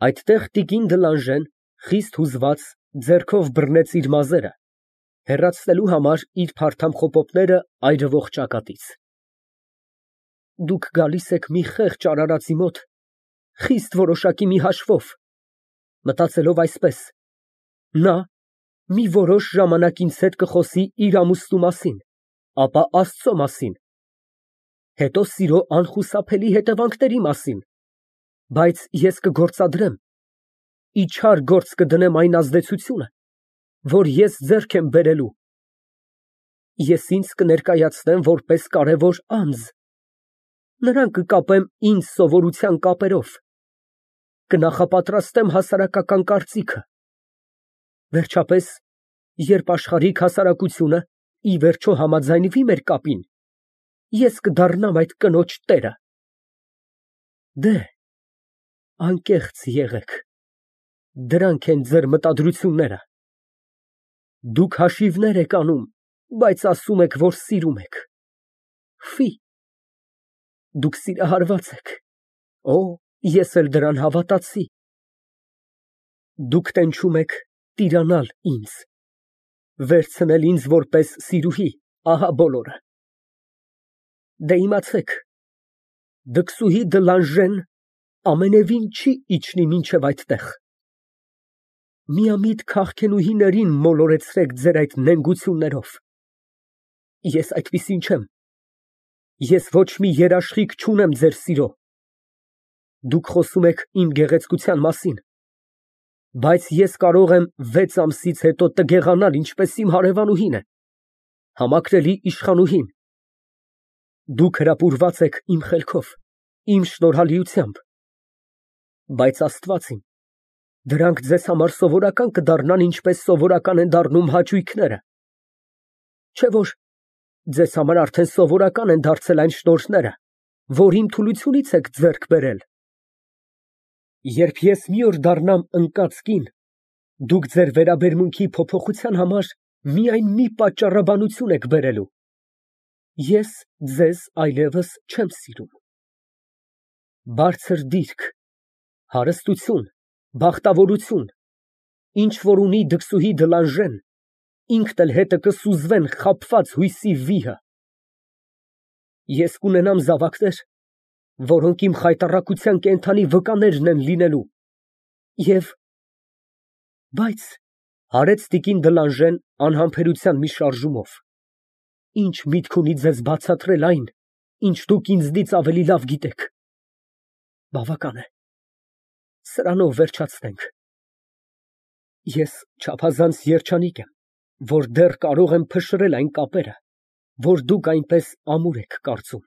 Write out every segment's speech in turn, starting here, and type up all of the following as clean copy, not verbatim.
Այդտեղ տիկին Դլանժեն, խիստ հուզված, ձեռքով բռնեց իր մազերը, հեռացնելու համար իր փարթամ խոպոպները այրվող ճակատից։ Դուք գալիս եք մի խեղճ արարածի մոտ, խիստ որոշակի մի հաշվով, մտածելով այսպես. նա մի որոշ ժամանակ ինձ հետ կխոսի իր ամուսնու մասին, ապա Աստծո մասին, հետո սիրո անխուսափելի հետևանքների մասին, բայց ես կգործադրեմ, իչար գործ կդնեմ այն ազդեցությունը, որ ես ձեռք եմ բերելու, ես ինձ կներկայացնեմ որպես կարևոր անձ, նրան կկապեմ ինձ սովորության կապերով, կնախապատրաստեմ հասարակական կարծիքը, վերջապես, երբ աշխարհիկ հասարակությունը ի վերջո համաձայնվի մեր կապին, ես կդառնամ այդ կնոջ տերը։ Դե, անկեղծ եղեք, դրանք են ձեր մտադրությունները։ Դուք հաշիվներ եք անում, բայց ասում եք, որ սիրում եք։ Ֆի, դուք սիրահարված եք։ Օ, ես էլ դրան հավատացի։ Դուք տենչում եք տիրանալ ինձ, վերցնել ինձ որպես սիրուհի, ահա բոլորը։ Դե իմացեք, դքսուհի Դլանժեն ամենևին չի իջնի մինչև այդտեղ։ Միամիտ քաղցկենուհիներին մոլորեցրեք ձեր այդ նենգություններով։ Ես այդպիսին չեմ։ Ես ոչ մի երաշխիք չունեմ ձեր սիրո։ Դուք խոսում եք իմ գեղեցկության մասին, բայց ես կարող եմ 6 ամսից հետո տգեղանալ, ինչպես իմ հարևանուհին է, համակրելի իշխանուհին։ Դուք հրապուրված եք իմ խելքով, իմ շնորհալիությամբ, բայց Աստված իմ, դրանք ձեզ համար սովորական կդառնան, ինչպես սովորական են դառնում հաճույքները, չէ՞ որ ձեզ համար արդեն սովորական են դարձել այն շնորհները, որ իմ թուլությունից եք ձեռք բերել։ Երբ ես մի օր դառնամ ընկած կին, դուք ձեր վերաբերմունքի փոփոխության համար միայն մի պատճառաբանություն եք բերելու. ես ձեզ այլևս չեմ սիրում։ Բարձր դիրք, հարստություն, բախտավորություն, ինչ որ ունի դքսուհի Դլանժեն, ինքն էլ հետը կսուզվեն խաբված հույսի վիհը։ Ես կունենամ զավակներ, որոնք իմ խայտառակության կենդանի վկաներն են լինելու, և… Բայց… հարեց տիկին Դլանժեն անհամբերության մի շարժումով, ինչ միտք ունի ձեզ բացատրել այն, ինչ դուք ինձնից ավելի լավ գիտեք։ Բավական է, սրանով վերջացնենք։ Ես չափազանց երջանիկ եմ, որ դեռ կարող եմ փշրել այն կապերը, որ դուք այնպես ամուր եք կարծում։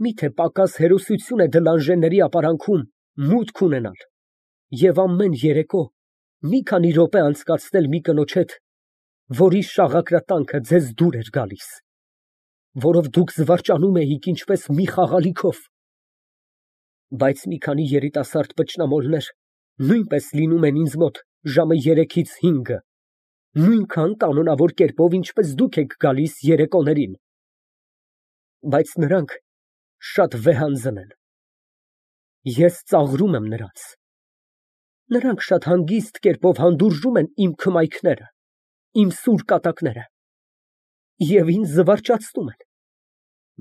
Միթե պակաս հերոսություն է Դլանժենների ապարանքում մուտք ունենալ և ամեն երեկո մի քանի րոպե անցկացնել մի կնոջ հետ, որի շաղակրատանքը ձեզ դուր էր գալիս, որով դուք զվարճանում էիք ինչպես մի խաղալիքով։ Բայց մի քանի երիտասարդ պճնամոլներ նույնպես լինում են ինձ մոտ ժամը 3-ից 5, նույնքան կանոնավոր կերպով, ինչպես դուք եք գալիս երեկոներին, բայց նրանք շատ վեհանձն են։ Ես ծաղրում եմ նրանց։ Նրանք շատ հանգիստ կերպով հանդուրժում են իմ քմայքները, իմ սուր կատակները և ինձ զվարճացնում են,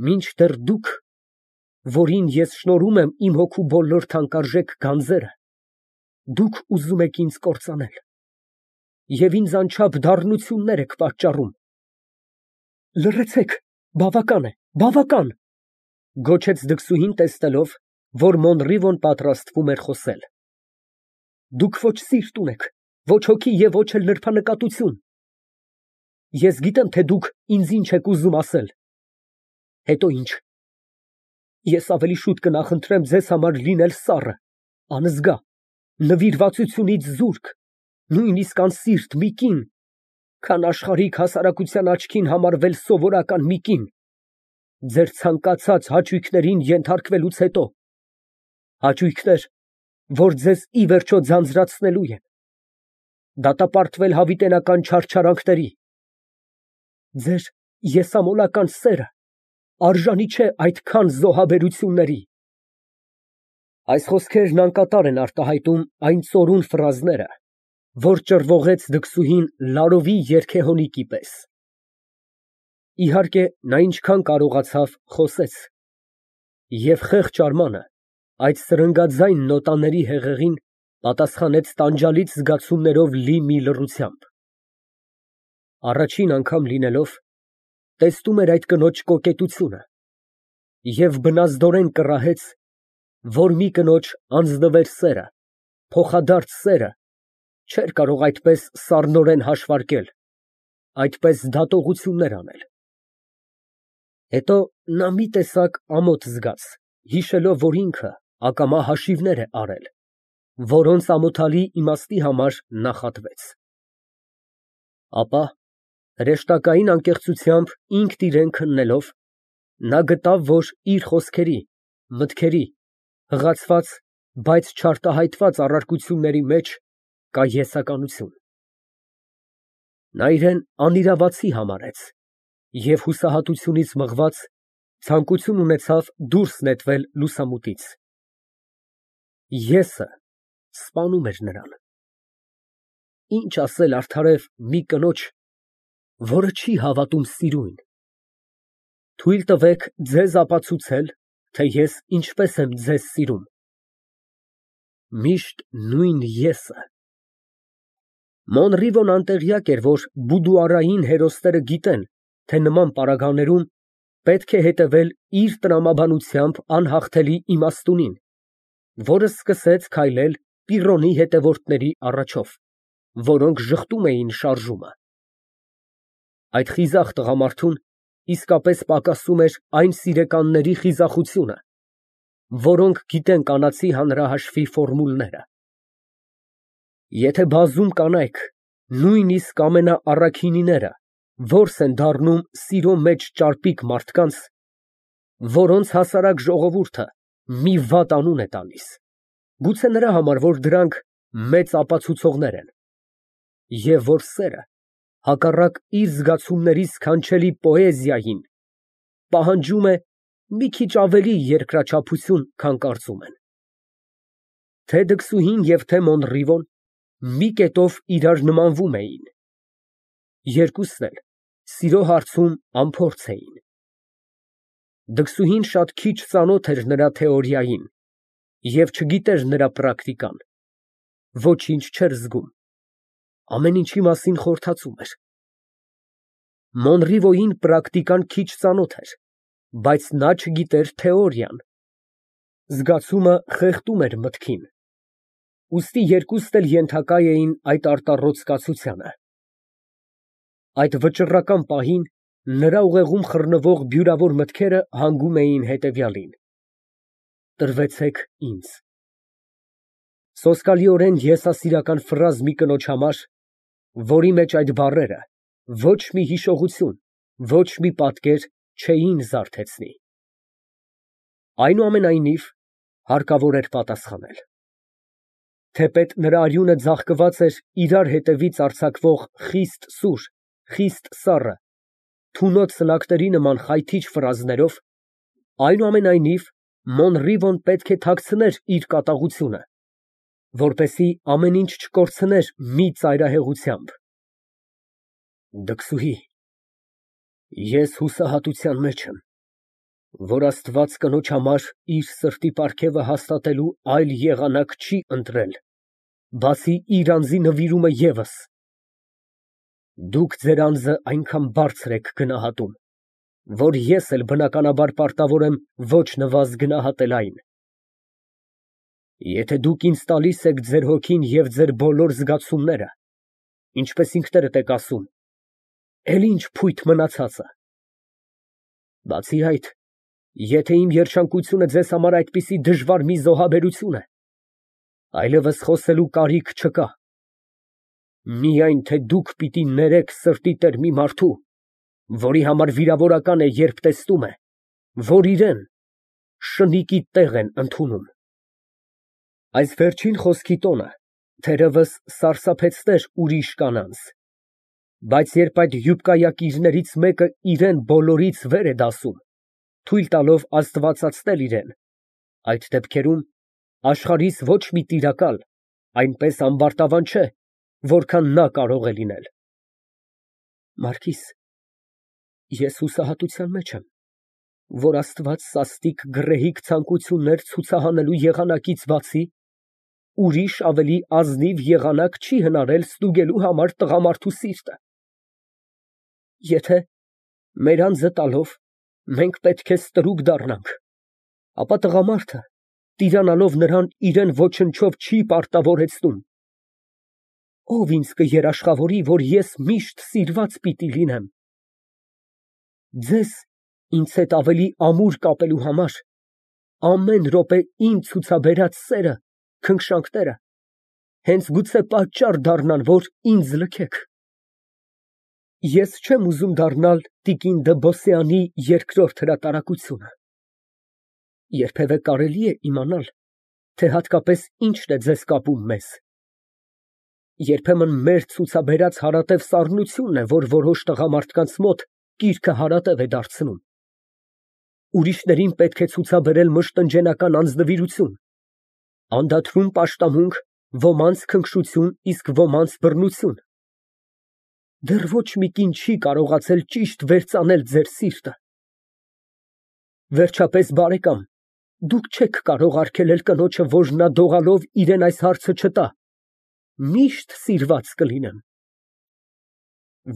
մինչդեռ դուք, որին ես շնորհում եմ իմ հոգու բոլոր թանկարժեք գանձերը, դուք ուզում եք ինձ կործանել և ինձ անչափ դառնություններ եք պատճառում։ Լռեցեք, բավական է, բավական, գոչեց դքսուհին, տեսնելով, որ Մոնռիվոն պատրաստվում էր խոսել։ Դուք ոչ սիրտ ունեք, ոչ հոգի և ոչ էլ նրբանկատություն։ Ես գիտեմ, թե դուք ինձ ինչ եք ուզում ասել։ Հետո ինչ։ Ես ավելի շուտ կնախընտրեմ ձեզ համար լինել սառը, անզգա, նվիրվածությունից զուրկ, նույնիսկ անսիրտ մի կին, քան աշխարհիկ հասարակության աչքին համարվել սովորական մի կին, ձեր ցանկացած հաճույքներին ենթարկվելուց հետո, հաճույքներ, որ ձեզ ի վերջո ձանձրացնելու են, դատապարտվել հավիտենական չարչարանքների։ Ձեր եսամոլական սերը արժանի չէ այդքան զոհաբերությունների։ Այս խոսքերն անկատար են արտահայտում այն ծորուն ֆրազները, որ ճռվողեց դքսուհին Լարովի երգեհոնիկի պես։ Իհարկե, նա ինչքան կարողացավ, խոսեց, և խեղճ Արմանը այդ սրընգաձայն նոտաների հեղեղին պատասխանեց տանջալից զգացումներով լի մի լռությամբ։ Առաջին անգամ լինելով, տեսնում էր այդ կնոջ կոկետությունը և բնազդորեն կռահեց, որ մի կնոջ անձնվեր սերը, փոխադարձ սերը չէր կարող այդպես սառնորեն հաշվարկել, այդպես դատողություններ անել։ Հետո նա մի տեսակ ամոթ զգաց, հիշելով, որ ինքը ակամա հաշիվներ է արել, որոնց ամոթալի իմաստի համար նախատվեց։ Ապա հրեշտակային անկեղծությամբ ինքն իրեն քննելով, նա գտավ, որ իր խոսքերի, մտքերի, հղացված, բայց չարտահայտված առարկությունների մեջ կա եսականություն։ Նա իրեն անիրավացի համարեց և հուսահատությունից մղված ցանկություն ունեցավ դուրս նետվել լուսամուտից։ Եսը սպանում էր նրան։ Ինչ ասել արդարև մի կնոջ, որը չի հավատում սիրույն։ Թույլ տվեք ձեզ ապացուցել, թե ես ինչպես եմ ձեզ սիրում։ Միշտ նույն եսը։ Մոնրիվոն անտեղյակ էր, որ բուդուարային հերոսները գիտեն, թե նման պարագաներում պետք է հետևել իր տրամաբանությամբ անհաղթելի իմաստունին, որը սկսեց քայլել Պիրոնի հետևորդների առաջով, որոնք ժխտում էին շարժումը։ Այդ խիզախ տղամարդուն իսկապես պակասում էր այն սիրեկանների խիզախությունը, որոնք գիտեն կանացի հանրահաշվի ֆորմուլները։ Եթե բազում կանայք, նույնիսկ ամենաառաքինիները, որս են դառնում սիրո մեջ ճարպիկ մարդկանց, որոնց հասարակ ժողովուրդը մի վատ անուն է տալիս, գուցե նրա համար, որ դրանք մեծ ապացուցողներ են, և որ սերը, հակառակ իր զգացումների սքանչելի պոեզիային, պահանջում է մի քիչ ավելի երկրաչափություն, քան կարծում են, թե դքսուհին և թե Մոնրիվոն մի կետով իրար նմանվում էին, երկուսն էլ սիրո հարցում անփորձ էին։ Դքսուհին շատ քիչ ծանոթ էր նրա թեորիային և չգիտեր նրա պրակտիկան, ոչինչ չէր զգում, ամեն ինչի մասին խորհրդածում էր։ Մոնրիվոյին պրակտիկան քիչ ծանոթ էր, բայց նա չգիտեր թեորիան, զգացումը խեղդում էր մտքին, ուստի երկուստ էլ ենթակա էին այդ արտառոց կացությանը։ Այդ վճռական պահին նրա ուղեղում խռնվող բյուրավոր մտքերը հանգում էին հետևյալին. տրվեցեք ինձ։ Սոսկալիորեն եսասիրական ֆրազ մի կնոջ համար, որի մեջ այդ բառերը ոչ մի հիշողություն, ոչ մի պատկեր չէին զարթեցնի։ Այնուամենայնիվ, հարկավոր էր պատասխանել։ Թեպետ նրա արյունը ձաղկված էր իրար հետևից արձակվող խիստ սուր, խիստ սառը, թունոտ սլակների նման խայթիչ ֆրազներով, այնուամենայնիվ Մոնրիվոն պետք է թաքցներ իր կատաղությունը, որպեսզի ամեն ինչ չկորցներ մի ծայրահեղությամբ։ Դքսուհի, ես հուսահատության մեջ եմ, որ Աստված կնոջ համար իր սրտի պարգևը հաստատելու այլ եղանակ չի ընտրել, բացի իր անձի նվիրումը ևս։ Դուք ձեր անձը այնքան բարձր եք գնահատում, որ ես էլ բնականաբար պարտավոր եմ ոչ նվազ գնահատել այն։ Եթե դուք ինձ տալիս եք ձեր հոգին և ձեր բոլոր զգացումները, ինչպես ինքներդ եք ասում, էլ ինչ փույթ մնացածը։ Բացի այդ, եթե իմ երջանկությունը ձեզ համար այդպիսի դժվար մի զոհաբերություն է, այլևս խոսելու կարիք չկա։ Միայն թե դուք պիտի ներեք սրտի տեր մի մարդու, որի համար վիրավորական է, երբ տեսնում է, որ իրան շնիկի տեղ են ընդունում։ Այս վերջին խոսքի տոնը թերևս սարսափեցներ ուրիշ կանանց, բայց երբ այդ յուբկայակիրներից մեկը իրան բոլորից վեր է դասում, թույլ տալով աստվածացնել իրան, այդ դեպքերում Աշխարհիս ոչ մի տիրակալ այնպես ամբարտավան չէ, որքան նա կարող է լինել։ Մարգիս, ես հուսահատության մեջ եմ, որ Աստված սաստիկ գռեհիկ ցանկություններ ցուցահանելու եղանակից բացի ուրիշ ավելի ազնիվ եղանակ չի հնարել ստուգելու համար տղամարդու սիրտը։ Եթե մեր անձը տալով մենք պետք է ստրուկ դառնանք, ապա տղամարդը, տիրանալով նրան, իրեն ոչնչով չի պարտավորեցնում։ Ով ինձ կերաշխավորի, որ ես միշտ սիրված պիտի լինեմ։ Ձեզ ինձ հետ ավելի ամուր կապելու համար ամեն րոպե ինձ ցուցաբերած սերը, քնքշանքները հենց գուցե պատճառ դառնան, որ ինձ լքեք։ Ես չեմ ուզում դառնալ տիկին դը Բոսեանի երկրորդ հրատարակությունը։ Երբևէ կարելի է իմանալ, թե հատկապես ինչն է ձեզ կապում մեզ։ Երբեմն մեր ցուցաբերած հարատև սառնությունն է, որ որոշ տղամարդկանց մոտ կիրքը հարատև է դարձնում։ Ուրիշներին պետք է ցուցաբերել մշտնջենական անձնվիրություն, անդադրուն պաշտամունք, ոմանց քնքշություն, իսկ ոմանց բռնություն։ Դեռ ոչ մի կին չի կարողացել ճիշտ վերծանել ձեր սիրտը։ Վերջապես, բարեկամ, դուք չեք կարող արգելել կնոջը, որ նա դողալով իրան այս հարցը չտա։ Միշտ սիրված կլինեմ։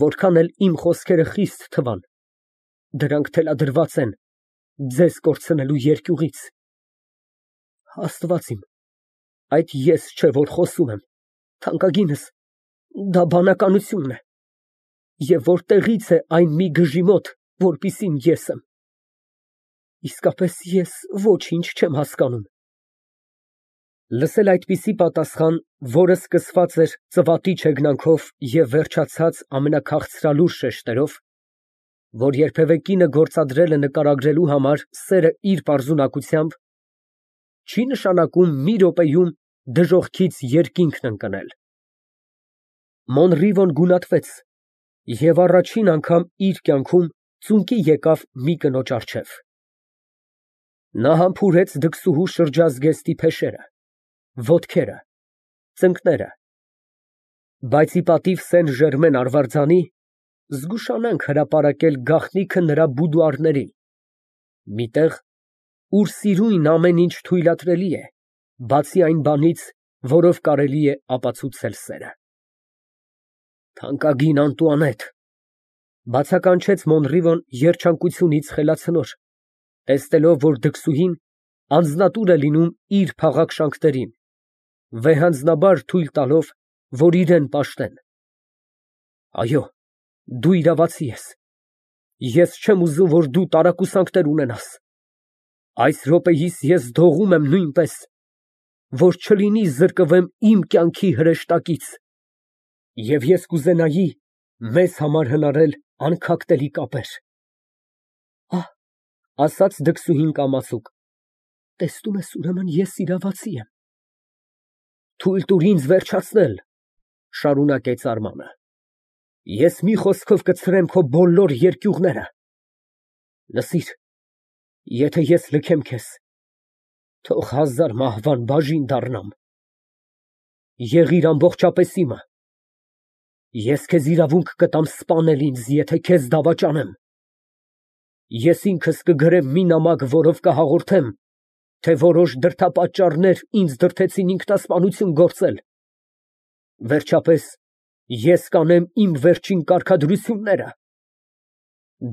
Որքան էլ իմ խոսքերը խիստ թվան, դրանք թելադրված են ձեզ կորցնելու երկյուղից։ Աստված իմ, այդ ես չէ, որ խոսում եմ, թանկագինս, դա բանականությունն է։ Եվ որտեղից է այն մի գժի մոտ, որպիսին ես եմ։ Իսկապես ես ոչինչ չեմ հասկանում։ Լսել այդպիսի պատասխան, որը սկսված էր ծվատի չեգնանքով և վերջացած ամենաքաղցրալուր շեշտերով, որ երբևէ կինը գործադրել է նկարագրելու համար սերը իր պարզունակությամբ, չի նշանակում մի րոպեում դժոխքից երկինքն ընկնել։ Մոնրիվոն գունատվեց և առաջին անգամ իր կյանքում ծունկի եկավ մի կնոջ առջև։ Նա համբուրեց դքսուհու շրջազգեստի փեշերը, ոտքերը, ծնկները, բայց ի պատիվ Սեն Ժերմեն արվարձանի զգուշանանք հրապարակել գաղտնիքը նրա բուդուարների, մի տեղ, ուր սիրույն ամեն ինչ թույլատրելի է, բացի այն բանից, որով կարելի է ապացուցել սերը։ Թանկագին Անտուանետ, բացականչեց Մոնրիվոն երջանկությունից խելացնոր, տեսնելով, որ դքսուհին անձնատուր է լինում իր փաղաքշանքներին, վեհանձնաբար թույլ տալով, որ իրան պաշտեն։ Այո, դու իրավացի ես։ Ես չեմ ուզում, որ դու տարակուսանքներ ունենաս։ Այս րոպեիս ես դողում եմ նույնպես, որ չլինի զրկվեմ իմ կյանքի հրեշտակից, և ես կուզենայի մեզ համար հնարել անքակտելի կապեր։ Ահ, ասաց դքսուհին կամացուկ, տեսնում ես, ուրեմն ես իրավացի եմ։ Թույլ տուր ինձ վերջացնել, շարունակեց Արմանը։ Ես մի խոսքով կցրեմ քո բոլոր երկյուղները։ Լսիր, եթե ես լքեմ քեզ, թող 1000 մահվան բաժին դառնամ։ Եղիր ամբողջապես իմը։ Ես քեզ իրավունք կտամ սպանել ինձ, եթե քեզ դավաճանեմ։ Ես ինքս կգրեմ մի նամակ, որով կհաղորդեմ, թե որոշ դրդապատճառներ ինձ դրդեցին ինքնասպանություն գործել։ Վերջապես, ես կանեմ իմ վերջին կարգադրությունները։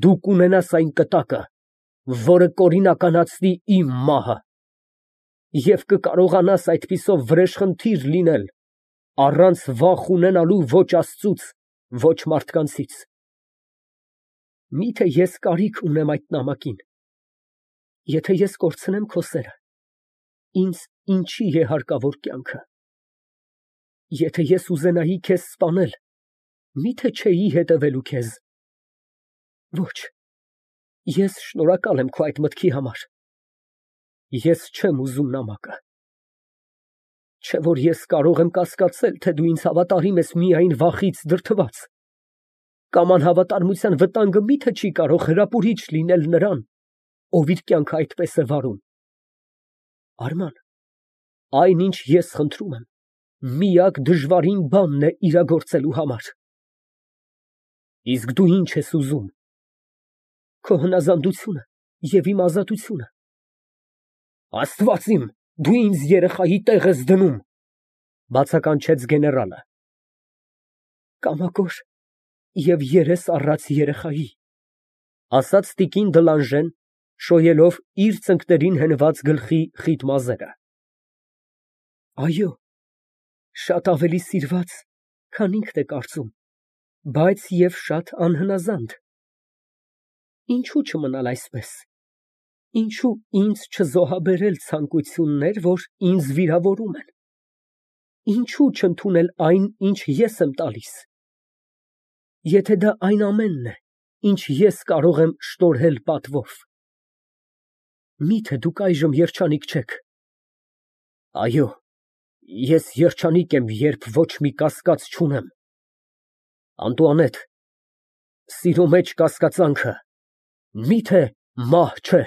Դու կունենաս այն կտակը, որը կօրինականացնի իմ մահը, և կկարողանաս այդպիսով վրեժխնդիր լինել, առանց վախ ունենալու ոչ Աստծուց, ոչ մարդկանցից։ Միթե ես կարիք ունեմ այդ նամակին։ Եթե ես կորցնեմ քո սերը, ինձ ինչի է հարկավոր կյանքը։ Եթե ես ուզենայի քեզ սպանել, միթե չէի հետևելու քեզ։ Ոչ, ես շնորհակալ եմ քո այդ մտքի համար։ Ես չեմ ուզում նամակը։ Չէ որ ես կարող եմ կասկածել, թե դու ինձ հավատարիմ ես միայն վախից դրդված, կամ անհավատարմության վտանգը միթե չի կարող հրապուրիչ լինել նրան, ով իր կյանքը այդպես է վարում։ Արման, Այնինչ ես խնդրում եմ, միակ դժվարին բանն է իրագործելու համար։ Իսկ դու ի՞նչ ես ուզում։ Քո հնազանդությունը և իմ ազատությունը։ Աստված իմ, դու ինձ երեխայի տեղ ես դնում, բացականչեց գեներալը։ Կամակոր և երես առած երեխայի, ասաց տիկին Դլանժեն, շոյելով իր ծնկներին հենված գլխի խիտ մազերը։ Այո, շատ ավելի սիրված, քան ինքն է կարծում, բայց և շատ անհնազանդ։ Ինչո՞ւ չմնալ այսպես, ինչո՞ւ ինձ չզոհաբերել ցանկություններ, որ ինձ վիրավորում են, ինչո՞ւ չընդունել այն, ինչ ես եմ տալիս, եթե դա այն ամենն է, ինչ ես կարող եմ շնորհել պատվով։ Մի՞թե դուք այժմ երջանիկ չեք։ Այո, ես երջանիկ եմ, երբ ոչ մի կասկած չունեմ։ Անտուանետ, սիրո մեջ կասկածանքը մի՞թե մահ չէ։